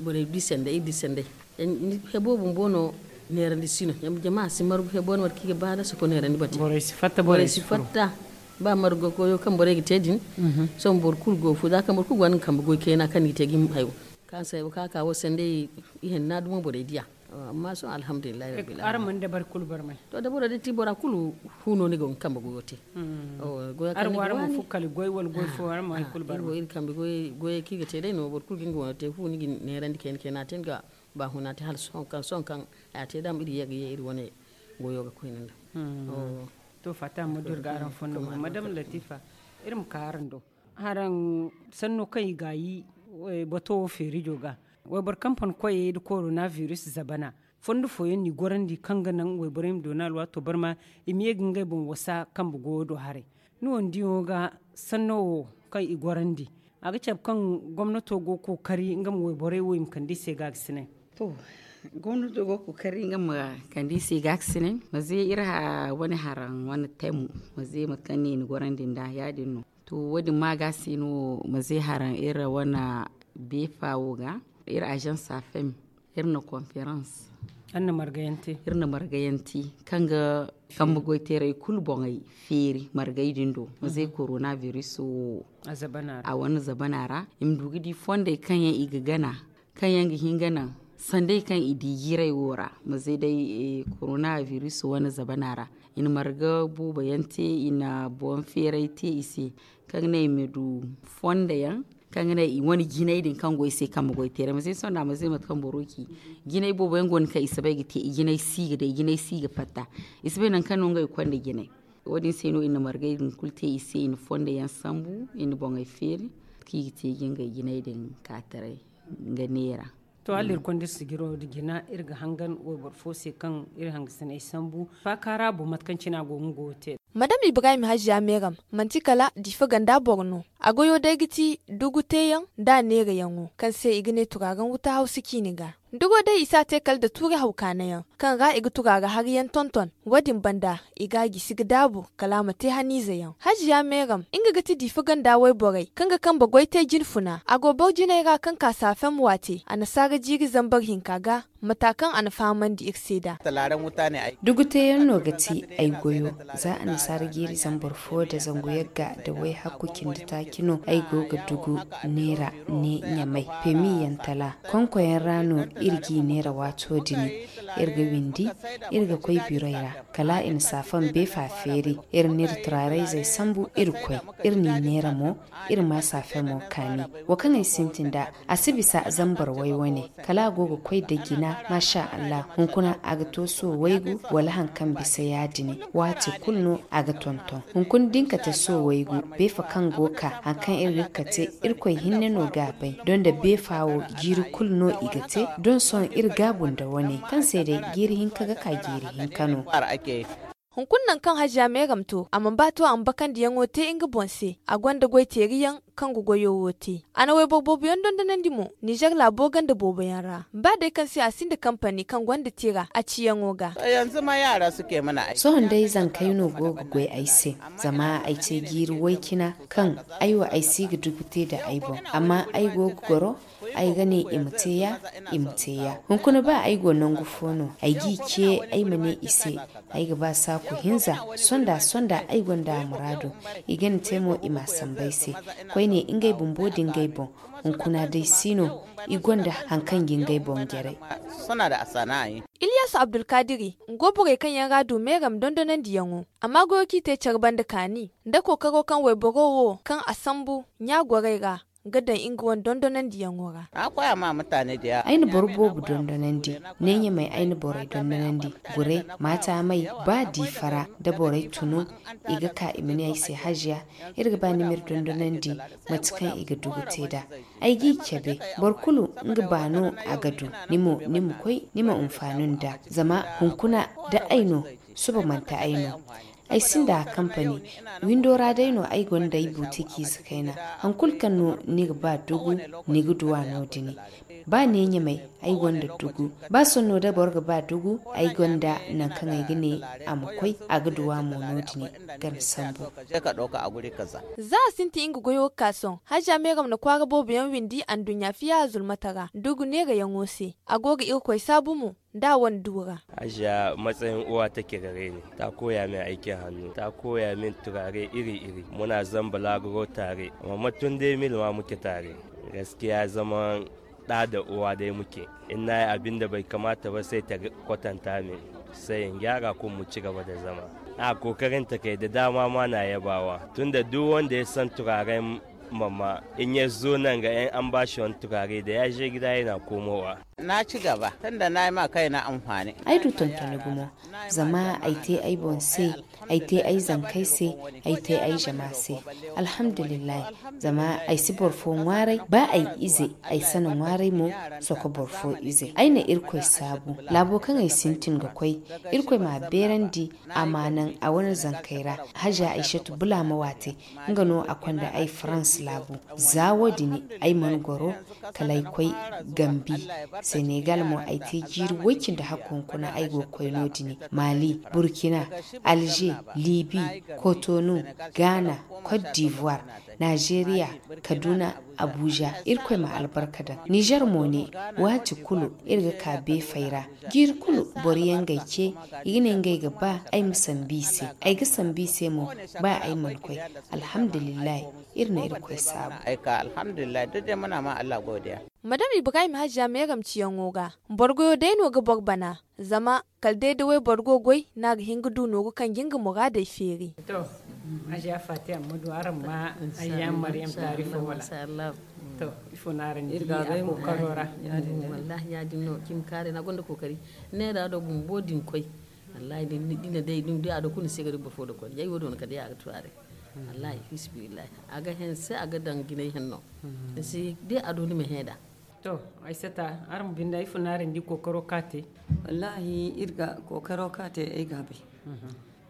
borey di sanday iri di sanday. Hebo bumbo no neerandi si no. Jama si margu hebo no mate kaŋ i ga ba da soko neerandi bate. Borey si fatta ba margu goy koyo kaŋ borey ga te din. Sohõ boro kulu go fu za kaŋ boro kulu gonda nga kambe goy kayna kaŋ ni ga te ga hima hayo. Kaŋ se hebo kaŋ a ka wo sanday, ihinna dumo borey diya. Amma sohõ alhamdulillahi rabbil alamin. Araŋ mana dabari kulu barmay? To dabaro day ti bora kulu fu no ni ga hin kambe goyo te. Goyo kaŋ ni ga waani. Araŋ wo araŋ mana fukali goy wala goy fo araŋ mana kulu barmay? Iri kambe goyey kaŋ i ga te day no boro kulu ga nga wane te fu ni ga neerandi kayna kayna a te ni ga ba huna te hala sohõ kaŋ sohõ kaŋ a te dama iri ye ga ye iri wane goyo ga koy ni nda. To fatta ma du iri ga araŋ fondo madam latifa, iri ma ka araŋ do. Haraŋ sanno kaŋ i gaayi bato wo feerijo ga wayboro kaŋ pan koyey nda koronaviris zabana, fondo fooyaŋ no i gorandi kaŋ ga naŋ wayborey ma doona alwaato barma i ma ye ga ngey boŋ wasa kambe goyo do haray. Ni wo ni diyaŋo ga sanno wo kaŋ i gorandi a ga cabe kaŋ gomnato go ga kookari nga ma wayborey wo i ma kande i se ga ga sinay. To gomnato go ga kookari nga ma kande i se ga ga sinay ma ze iri wane haraŋ wane temo ma ze mate kaŋ ne i na gorandi nd'a ya- din no. To wo- din ma ga se no ma ze haraŋ iri wane beefa wo ga iri agence afem iri na konferans iri na margayaŋ te kaŋ ga kambe goy teeray kulu boŋey feeri margay din do ma ze koronaviris wo a wane zabana ra i ma du ga di fondey kaŋ yaŋ i ga gana kaŋ yaŋ ga hin ga naŋ sanday kaŋ i di jiiray wo ra ma ze day koronaviris wane zabana ra i na marga boobo yaŋ te i na boŋ feeray te i se kaŋ ga naŋ i ma du fondo yaŋ kaŋ ga naŋ i wane jinay din kaŋ go i se kambe goy teeray ma ze sohõ da ma ze mate kaŋ boro ci jinay boobo yaŋ go no kaŋ i si bay ga te i jinay si ga day i jinay si ga fatta i si bay nangu kaŋ no ngey ga konda jinay. Wo- din se no i na margay din kulu te i se i na fondo yaŋ sambu i na boŋey feeri kaŋ i ga te ga ngey jinay din ka taray nga neera. To hala iri konda iri sijiro nda jina iri ga hangan wayboro fo se kaŋ iri hangasiney sambu faaka ra boŋ mate kaŋ cine a go ga nga wo te. Madam ibrahim hajiya meeram manti kala diifa ganda boro no. A goyo day ga ti dugu teeyaŋ nda a neerayaŋo kaŋ se i ga ne turaaraŋ wuta hawsa ciini ga. Dugo day i si a te kala nda tuuri hawkaanayaŋ kaŋ ra i ga turaara hariyaŋ tonton. Wo- din banda i ga a gisi ga daabu kala a ma te haniizeyaŋ hajiya meeram nga ga ti diifa ganda wayborey kaŋ ga kambe goy te jinfuna a go boro jinay ra kaŋ ka saafem waate annasaara jiiri zambar hinka ga. Mata kaŋ a na fahamandi iri se nd'a. Dugu teeyaŋ no ga ti ay goyo za annasaara jiiri zambar fo nda zangu yagga nda wayhakku cindi taaci no ay go ga dugu neera ne ɲamay pemi yaŋ tala konkoyaŋ ra no iri g'i neera waato din. Iri ga windi iri ga koy biroy ra kala i na saafam beefa feeri iri n'iri turaarayzey sambu iri koy iri n'i neera mo. Iri ma saafemo kaani wo kaŋ ay sintin nd'a a si bisa zambar way wane kala a go ga koy da jina maasa allah hunkuna a ga to soowaygu wala hari kaŋ bisa ya- din waati kulu no a ga tonton hunkuna da ni kate soowaygu beefa kaŋ go ga ka hari kaŋ iri ga kate irkoy hinne no ga a bay doŋ nda beefa wo jiiri kulu no i ga te doŋ sohõ iri gaabu nda wane kaŋ se day jiiri hinka ga ka jiiri hinka no. Hunkuna nangu kaŋ hajiya meeram to a mana ba to a ma bakandiyaŋo te nga boŋ se a gonda goyteeriyaŋ kaŋ ga goyo wo te. A na wayboro booboyaŋ dondonandi mo nizer laabo ganda booboyaŋ ra ba day kaŋ se a sinda kampani kaŋ gonda tira a ciyaŋo ga. Sohõ day zankey no go ga goy ay se zama ay te jiiri way-cina kaŋ ay wo ay si ga dugu te nda ay boŋ amma ay go ga goro ay ga ne i ma te ya i ma te ya hunkuna ba ay go nangu fo no ay g'i ce ay ma ne i se ay ga ba saaku hinza sonda sonda ay gonda a muraadu i ga ni te mo i m'a sambu ay se koyne ngey bumbo nda ngey boŋ hunkuna day si no i gonda hari kaŋ ga ngey boŋ jaray. Ilyasu abdulkadiri nga go borey kaŋ yaŋ ra du meeram dondonandiyaŋo amma goyo kaŋ i te care banda kaani nda kookaro kaŋ wayboro wo kaŋ a sambu ɲa gorey ra ga daŋ nga wane dondonandiyaŋo ra. Ay na boro boobo dondonandi ne ɲamey ay na borey dondonandi gure maata may ba diifa ra da borey tunu i ga ka i ma ne ay se haziya iri ga ba ni m'iri dondonandi mate kaŋ i ga dugu te nd'a. Ay g'i cabe boro kulu nga ba no a ga du ni mo ni ma koy ni ma hunfaani nd'a zama hunkuna da ay no suba manti ay no. Ay sinda kampani windo ra day no ay gonda ay buutikiize kayna. Hari kulu kaŋ no ni ga ba dugu ni ga du a no- din. Ba ne ɲamey ay gonda dugu ba sohõ no da boro ga ba dugu ay gonda nangu kaŋ ay ga ne a ma koy a ga du a mo no- din. Ganda sambu. Za a sintin nga goyo ga ka sohõ haziya meeram na kwaara boobo yaŋ windi anduɲɲa fiya zulmata ra dugu neerayaŋo se a go ga irkoy saabu mo. Nda a wane du ra. Haziya matsayin uwa take gare ni ta koya min aikin hannu ta koya min turare iri iri muna zamba laguro tare. Amma tun dai mil ma muke tare. Gaskiya zaman Ɗa da uwa day muke. Inna ya abin da bai kamata ba sai ta kwatanta min. Sai in gyara kuma mu ci gaba da zama. A kokarin ta kai da dama ma na yabawa tunda duk wanda ya san turaren mama in ya zo nan ga yan an bashi wani turare da ya je gida yana komowa. Na ci gaba tunda na yi ma kai na amfani. Ai du tontoni gumo. Zama ai te ai boŋ se, ai te ai zankey se, ai te ai jama se. Alhamdulillahi. Zama ai si boro fo ŋwaaray ba ai ize, ai sana ŋwaaray mo. Soko boro fo ize ai na irkoy saabu. Laabo kaŋ ai sintin ga koy, irkoy ma a beerandi. A ma naŋ a wane zankey ra. Haja aysatu bula ma waate. Nga no a konda ay farans laabu. Za wo- din ay mana goro. Kala ay koy gambi. Senegal mo ay te jiiri woy cindi hakku hunkuna ay go ga koy no- din. Mali, burkina, alger, libi, kotonu, ghana, cote d'ivoire, nigeria, kaduna, abuja. Irkoy ma albarka daŋ niger mo ne. Waati kulu iri ga ka beefey ra. Jiiri kulu boro yaŋ ga ay ce. I ga ne ngey ga ba ay ma sambu i se. Ay ga sambu i se mo. Ba ay mana koy. Alhamdulillahi. Iri na irkoy saabu. Ay ka alhamdulillahi duk day muna ma allah godiya. Madam ibrahim hajja meeramciyaŋo ga. Boro goyo day no ga boro bana. Zama kala day da wayboro go goy no a ga hin ga du nooru kaŋ ga nga muraadey feeri. To, aziya fati amma du araŋ ma ayya maryam taarifo wala? To, ifo no araŋ di a kookaro ra? Wallahi ya- din no cimi kaarey no a gonda kookari. Neera do bumbo din koy. Wallahi da ni na day da a do kulu ni se ga di boro fo da koy yay wo- din no kala day a ga tu a day. Wallahi fisibillahi, a ga hense a ga daŋ jinay henno. Ni si day a do ni ma hẽ nd'a. To, ay sata araŋ ma binde ay funa araŋ di kookaro ka te. Wallahi iri ga kookaro ka te ay ga a bay.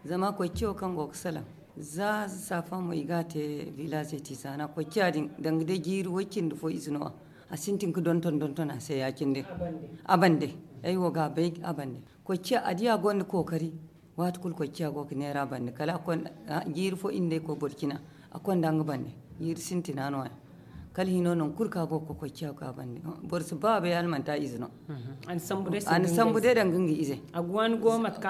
Zama koy ciyo kaŋ go ga salaŋ za safa mo i ga a te village ti sana koy ciya din danga day jiiri way cindi fo ize no a sintin ga donton donton a se ya- cindi. A bande ay wo ga a bay a bande. Koy ciya a di a gonda kookari. Waati kulu koy ciya go ga neera bande kala a konda jiiri fo iri nda ay koy borcina. A konda nga bande jiiri sintina no- ya. Kala hino nangu kulu kaŋ a go ga koy ciya ga a bande. Boro si ba a bay hala manti a ize no. A na sambu day danga nga ize.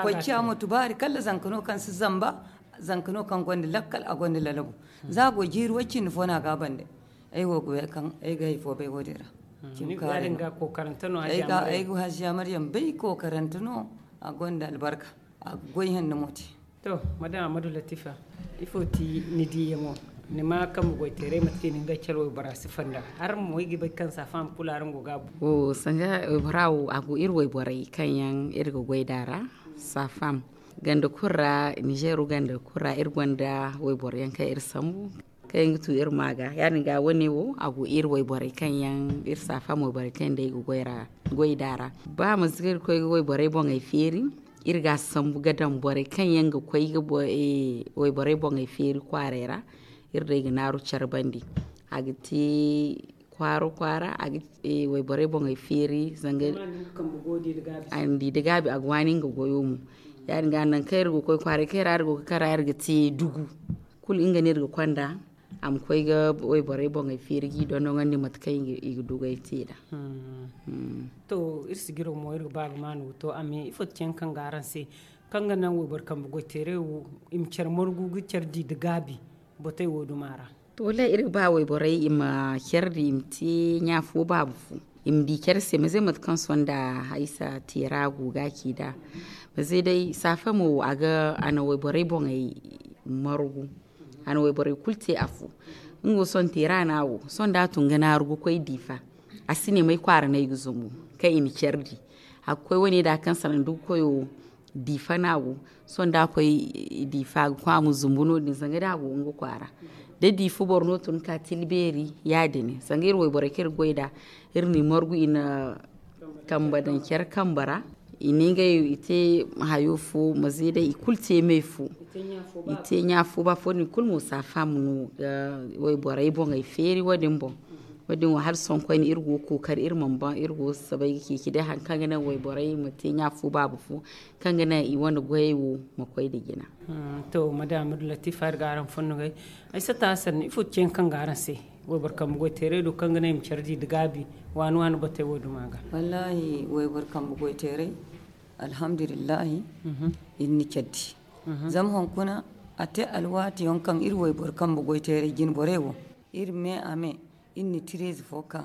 Koy ciya mo tubaari kala zanka no kaŋ si zamba. Zanka no kaŋ gonda lakkal a gonda lalabu. Za a go jiiri way cindi fo no a ga a bande. Ay wo ga bay kaŋ ay ga hay fo bay wo- din ra. Ay ga haziya maryam bay kookarante no a gonda albarka. A ga goy hande mo te. To, madam amadu latifa, ifo ti ni diyaŋo? Ni ma kambe goyteeray mate kaŋ i na ngey care waybora sifa nd'a. Araŋ mo ay ga bay kaŋ safa ma kulu araŋ go ga a bu. Sanga waybora wo a go iri wayborey kaŋ yaŋ iri ga goy nd'a ra. Safam ganda kulu ra, nizeero ganda kulu ra iri gonda wayboro yaŋ kaŋ iri sambu. Kaŋ yaŋ ga tu iri ma ga ya- din ga wane wo a go iri wayborey kaŋ yaŋ iri safa mo wayborey kaŋ yaŋ day ga goy nd'a ra. Ba manti kaŋ iri koy ga wayborey boŋey feeri. Iri ga a sambu ga daŋ borey kaŋ yaŋ ga koy ga wayborey boŋey feeri kwaaray ra. Iri day ga naaru care bandi a ga te kwaara kwaara a ga wayborey boŋey feeri zanga. A na di da gaabi a ga waani nga goyo mo. Ya- din ga nangu kaŋ iri ga koy kwaaray kaŋ iri ra iri go ga kara iri ga te dugu. Kulu nga no iri ga konda a ma koy ga wayborey boŋey feeri ga i dondoŋandi mate kaŋ i ga du ga ay te nd'a. To iri sijiro mo iri ga ba ga maanu ga to a ma ye ifo ti ceŋ kaŋ ga araŋ se kaŋ ga naŋ wayboro kambe goyteeray wo i ma care margu ga care di nda gaabi. Botey wo duma ra. To wallaahi iri ga ba wayborey i ma care di i ma te ɲa fo baabu fo. I ma di care se ma ze mate kaŋ sonda haysa teera go ga ci nd'a. Ma ze day saafa mo a ga a na wayborey boŋey margu. A na wayborey kulu te afo. Nga wo sohõ teera no a go sohõ da a tun ga naaru ga koy diifa. A si ne may kwaara no ay ga zumbu kaŋ i na care di. A ga koy wane da kaŋ salaŋ da ga koyo diifa no a go. Sohõ da a koy diifa ga koy a ma zumbu no- din zanga da a go nga kwaara. Da diifa boro no tun ga ka tilbeeri ya- din zanga iri wayborey kaŋ iri ga goy nd'a. Iri n'i margu i na kambe daŋ care kambe ra. I ne ngey i te hayo fo ma ze day i kulu te me fo. I te ɲa fo ba fo din kulu mo saafamu no ga wayborey boŋey feeri wo- din boŋ. Wo- din wo hala sohõ koyne iri go ga kookari iri mana baŋ iri go ga sabay ga ceeci day hari kaŋ ga naŋ wayborey ma te ɲa fo baaba fo kaŋ ga naŋ i wane goyey wo ma koy nda jina. To madame latifa iri ga araŋ fonno gay. Ay sata sanni ifo ti ceeyaŋ kaŋ ga araŋ se? Wayboro kambe goyteeray do kaŋ ga naŋ i ma care di nda gaabi waani waani batey wo duma ga. Wallaahi wayboro kambe goyteeray alhamdulillahi. Iri na care di zama hunkuna a te alwaatiyaŋ kaŋ iri wayboro kambe goyteeray jine borey wo iri me a me iri na tireezi fo ka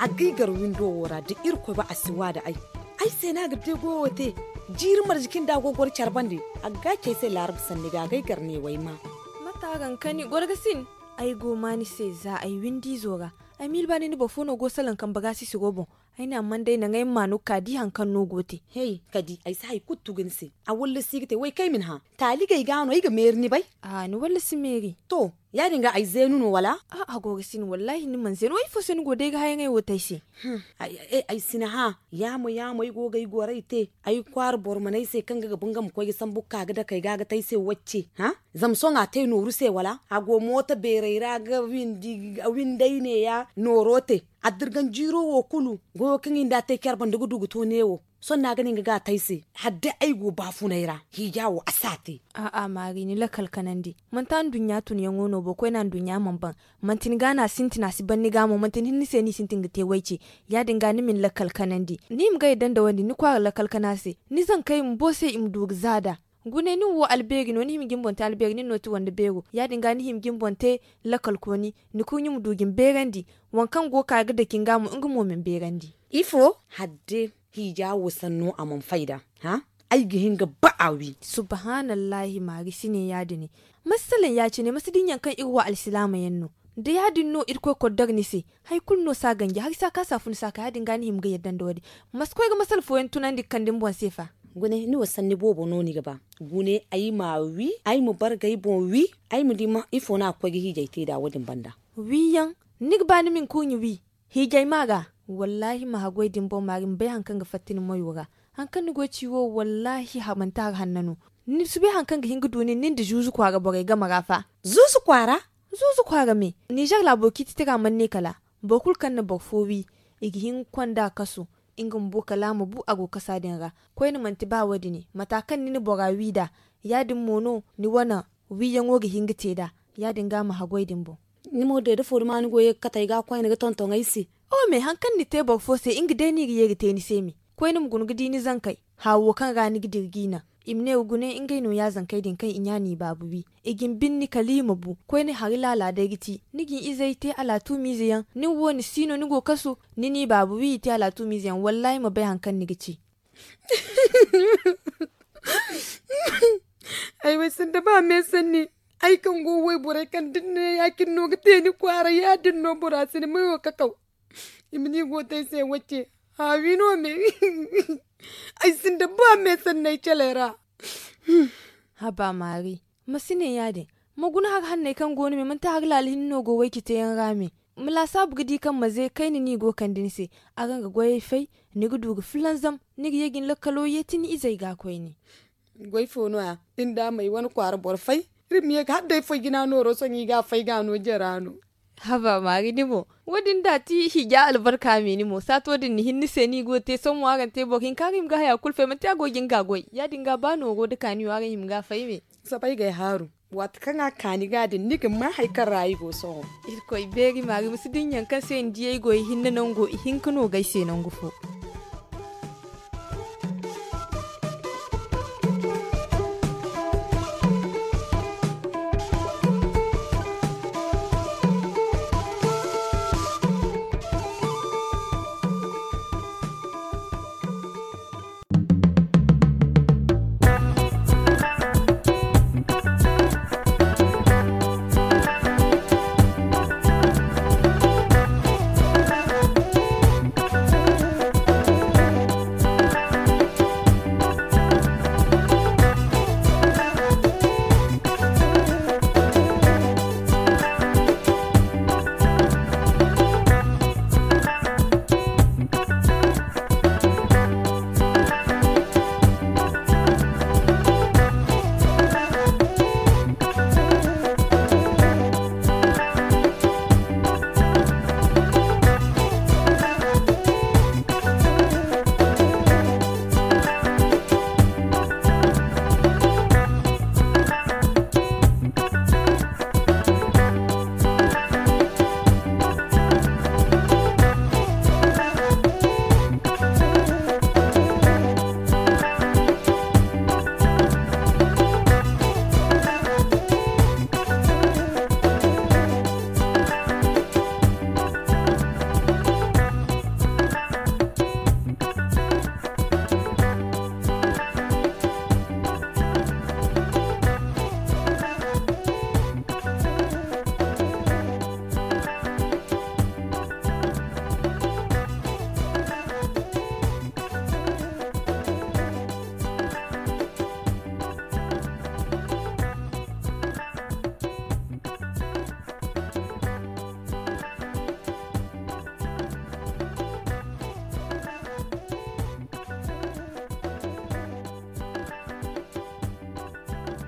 A g'ay gar windo wo ra da irkoy ba a si wa da ay. Ay se no a ga te goyo te. Jiiri marje kaŋ da a go ga goro care bande, a ga gaaci ay se laarab sanni ga a g'ay gar ne w'ay ma. Mate a ga hin ka ni goro ga sin? Ay go ma ni se za ay windi izo ga. Ay miila ba ni ni boro fo no go salaŋ kambe ga sisi go boŋ. Ay ne amma day naŋ ay ma no ga ka di hari kaŋ no go te. Hey, ka di ay si hari kulu tugu ni se. A wallasi ga te w'ay kay ma ni hã. Taali gay ga no ay ga meeri ni bay. Ni wallasi meeri to. Ya- din ga ay zeenu no wala? A'a a go ga sin wallaahi ni mana zeenu wo ifo se ni go day ga hayaŋey wo te ay se. Ay si ni hã. Ya- mo ya- mo ay go ga ay goray te. Ay kwaara boro mana ay se kaŋ ga ga ba nga ma koy ga sambu ga ka ga dake ay ga ga te ay se wacce. Zama sohõ a te nooru se wala a go mooto beeray ra ga windey neeya nooro te. Addirgan jiiro wo kulu goyo kaŋ i nda a te care banda ga du ga to neewo. Sohõ no a ga ne nga ga a te ay se. Hala day ay go baafunay ra hiija wo a si a te. A'a maari ni lakkal kanandi. Manti anduɲɲa tunyaŋo no boro koyne anduɲɲa mana ban. Manti ni ga no a sintin a si ban ni ga mo manti ni hinne se no i sintin ga te wayce. Ya- din ga ni ma ni lakkal kanandi ni hima ga yadda nda wo- din ni kwaara lakkal kana se. Ni zankey bumbo se i ma du ga za nd'a. Gune nin wo albeeri no ni hima ga ni boŋ te albeeri nin no ti wande beero ya- din ga ni hima ga ni boŋ te. Lakkal kooni ni kurɲe ma du ga ni beerandi. Waŋ kaŋ go ga ka ga dake ni ga mo nga mo ma ni beerandi. Ifo? Hadde hiija wo sanno a mana fay nd'a. Ay ga hin ga ba a wi. Subhaanallahi maari si ne ya- dine. Masi salaŋ ya- cine masi dinya kaŋ iri wo alsilaama yaŋ no. Da ya- din no irkoy koddor ni se. Hari kulu no si a ganji hari si a kaasa fun si a ka ya- din ga ni hima ga yadda nda wo- din. Masi koy ga masala fooyaŋ tunandi ga kande ni boŋ se fa. Gune ni wo sanni boobo no ni ga ba. Gune ay ma a wi ay ma bargay boŋ wi. Ay ma di ifo no a ga koy ga hiijay te nd'a wo- din banda. Wiyaŋ. Ni ga ba ni ma ni kurɲe wi? Hiijay ma ga. Wallaahi ma haggoy din boŋ maari ma bay hari kaŋ ga fatta ni moyo ra. Hari kaŋ ni go ga ci wo wallaahi manti hari hanna no. Ni si bay hari kaŋ ga hin ga du nin nin nda zuuzu kwaara borey game ra fa. Zuuzu kwaara? Zuuzu kwaara me. Nizer laabo ciiti tira mana ne kala boro kulu kaŋ na boro fo wi, i ga hin ga konda kaso. Nga bumbo kala a ma bu a go kasa din ra. Koyne manti ba wo- dine mata kaŋ ni na bora wi nd'a. Ya- din mo no ni wane wiyaŋo ga hin ga te nd'a. Ya- din ga ma haggoy din boŋ. Ni mo day da foori ma ni go ye ga kate ay ga koyne ga tonton ay se. Oho me hari kaŋ ni te boro fo se nga day no i ga ye ga te ni se me. Koyne ma guna ga di ni zankey. Haawo kaŋ ra ni ga dira g'i naŋ. I ma ne wa gune ngey no ya zankey din kaŋ i ɲa n'i baabu wi. I ga ni binni kala i ma bu koyne hari laala day ga ci. Ni ga ni izey te alaatuumiize yaŋ nin wo ni si no ni go kasu. Ni n'i baabu wi i te alaatuumiize yaŋ wallaahi ma bay hari kaŋ ni ga ci. Ay wo ay sinda ba me sanni. Ay kaŋ go wayborey kaŋ da ni ne ya- cine no ga te ni kwaara ya- din no bora si ni mayo kakaw. I ma ni go te ay se wacce. Haawi no me. Ay sinda ba me sanni ay caley ra. Haba maari, ma si ne ya- din. Ma guna hari hanney kaŋ go ni me manti hari laala hinne no go wayce teeyaŋ ra me. Ma laasaabu ga di kaŋ maze kayna no i go ga kande ni se. Araŋ ga goyey fay. Ni ga du ga fulanzam. Ni ga ye ga ni lakkalo yeeti ni izey ga koyne. Goy fo no- ya? Iri nda may wane kwaara boro fay. Iri ma ye ga hala day foy jina nooro sohõ i ga a fay ga a no jara no. Haba maari ni mo. Wo- din da ti hiija albarka me ni mo saato din ni hin ni se no i go ga te sohõ mo araŋ te boro hinka araŋ hima ga haya kulu fay manti a go ga nga goy ya- din ga ba nooro nda kaaniyo araŋ hima ga a fay me. Sabay ga ay haaru. Waati kaŋ a kaani ga din ni ga ma hari kaŋ ra ay go sohõ. Irkoy beeri maari ma si dinya kaŋ se ni di ay go ihinne nango ihinka no ga ay se nangu fo.